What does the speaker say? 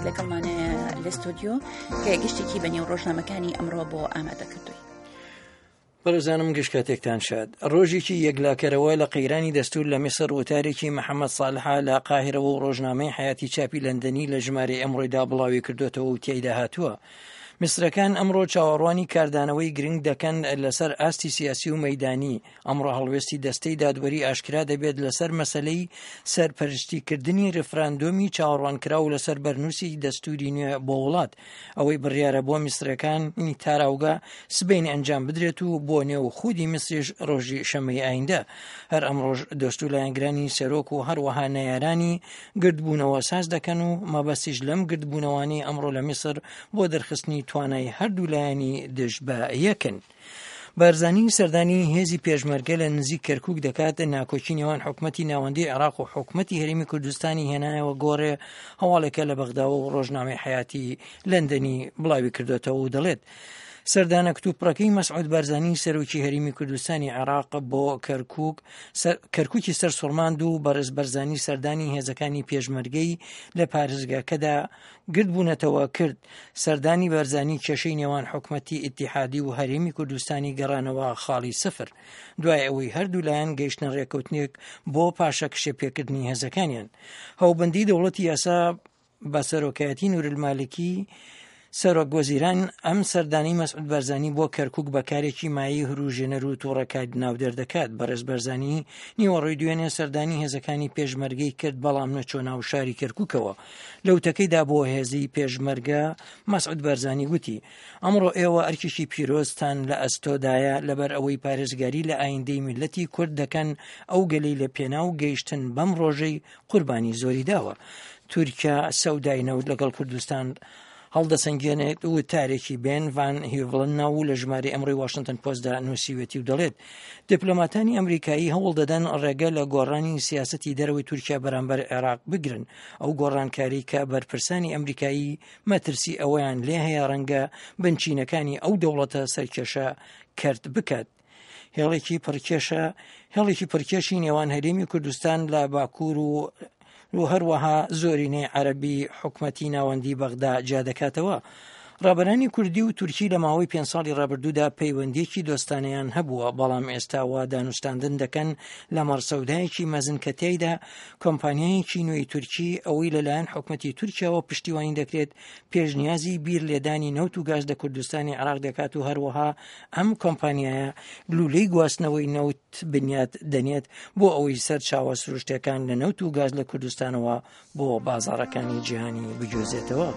لەگەڵمانەیە لە ستۆدیۆ کە گشتێکی بە نێو ڕۆژنامەکانی ئەمڕۆ بۆ ئامادە کردووی. بەڕێزانم گشت کاتێکتان شاد. ڕۆژێکی یەکلاکەرەوە لە قەیرانی دەستور لە میسر وتارێکی محەممەد ساڵحە لە قاهرەوە و ڕۆژنامەی حیاتی چاپی لەندەنی لە ژمارەی ئەمڕۆیدا بڵاوی کردوێتەوە و تیایدا هاتووە. میسرەکان ئەمڕۆ چاوەڕوانی کاردانەوەی گرنگ دەکەن لەسەر ئاستی سیاسی و مەدانی ئەمڕۆ هەڵوێستی دەستەی دادوەری ئاشکرا دەبێت لەسەر مەسەلەی سەرپەرشتیکردنی ڕیفراندۆمی چاوەڕوانکراو لەسەر بەرنووسی دەستوری نوێ بۆ وڵات ئەوەی بڕیارە بۆمیسرەکانی تاراوگە سبەینێ ئەنجام بدرێت و بۆ نێو خودی میسریش ڕۆژی شەمەی ئایندە هەر ئەمڕۆژ دۆست و لایەنگرانی سەرۆک و هەروەها نەیارانی گردبوونەوە ساز دەکەن و مەبەستیش لەم گردبوونەوانەی ئەمڕۆ لە میسر بۆ دەرخستنی توانای هەردوو لایەنی دژ بە یەکن. بارزانی سەردانی هێزی پێشمەرگە لە نزیک کەرکوک دەکات، ناکۆکی نێوان حکومەتی ناوەندی عێراق و حکومەتی هەرێمی کوردستانی هێنایەوە گۆڕێ، هەواڵێکە لە بەغداوە و ڕۆژنامەی حەیاتی لەندەنی بڵاوی کردۆتەوە و دەڵێت، سەردانە کتوپڕەکەی مەسعود بارزانی سەرۆکی هەرێمی کوردستانی عێراق بۆ کەرکوک کەرکوکی سەرسوڕماند و بەڕێز بەرزانی سەردانی هێزەکانی پێشمەرگەی لە پارێزگاکەدا گردبوونەتەوە کرد، سەردانی بارزانی کێشەی نێوان حکومەتی ئیتیحادی و هەرێمی کوردستانی گەڕانەوە خاڵی سفر، دوای ئەوەی هەردوو لایەن گەیشتنە رێککەوتنێک بۆ پاشەکشێ پێکردنی هێزەکانیان. هاوبەندی دەوڵەتی یاسا بە سەرۆکایەتی نورالمالکی سەرۆک وەزیران ئەم سەردانەی مەسعود بارزانی بۆ کەرکوک بە کارێکی مایەی هروژێنەر و توڕەکار ناودێر دەکات. بەڕێز بارزانی نیوەڕۆی دوێنێ سەردانی هێزەکانی پێشمەرگەی کرد، بەڵام نەچووە ناو شاری کەرکوکەوە. لە وتەکەیدا بۆ هێزی پێشمەرگە مەسعود بارزانی وتی، ئەمڕۆ ئێوە ئەرکێکی پیرۆزتان لە ئەستۆدایە لەبەر ئەوەی پارێزگاری لە ئایندەی میللەتی کورد دەکەن، ئەو گەلەی لە پێناو گەیشتن بەم ڕۆژەی قوربانی زۆری داوە. تورکیا سەودای نەوت لەگەڵ کوردستان هەڵدەسەنگێنێت وتارێکی بێن ڤان هیڤڵن ناو و لە ژمارەی ئەمڕۆی واشنتن پۆستدا نووسیوێتی و دەڵێت دیپلۆماتانی ئەمریکایی هەوڵ دەدەن ڕێگە لە گۆڕانی سیاسەتی دەرەوەی تورکیا بەرامبەر عێراق بگرن ئەو گۆڕانکاری کە بەرپرسانی ئەمریکایی مەترسی ئەوەیان لێ هەیە ڕەنگە بنچینەکانی ئەو دەوڵەتە سەرکێشە کەرت بکات. هێڵێکی پڕکێشە هێڵێکی پڕکێشی نێوان هەرێمی کوردستان لە باکوور و و هەروەها زۆرینەی عەربی حکومەتی ناوەندی بەغدا جیا دەکاتەوە. ڕابەرانی کوردی و تورکی لە ماوەی پێ ساڵی ڕابردوودا پەیوەندیەکی دۆستانەیان هەبووە، بەڵام ئێستا وا دانوستاندن دەکەن لە مەڕ سەودایەکی مەزن کە تیایدا کۆمپانیایەکی نوێی تورکی ئەوەی لەلایەن حکومەتی تورکیاوە پشتیوانی دەکرێت پێشنیازی بیر لێدانی نەوت و گاز لە کوردستانی عێراق دەکات و هەروەها ئەم کۆمپانیایە لولەی گواستنەوەی نەوت بنیات دەنێت بۆ ئەوەی سەرچاوە سروشتەکان لە نەوت و گاز لە کوردستانەوە بۆ بازاڕەکانی جیهانی بگوێزێتەوە.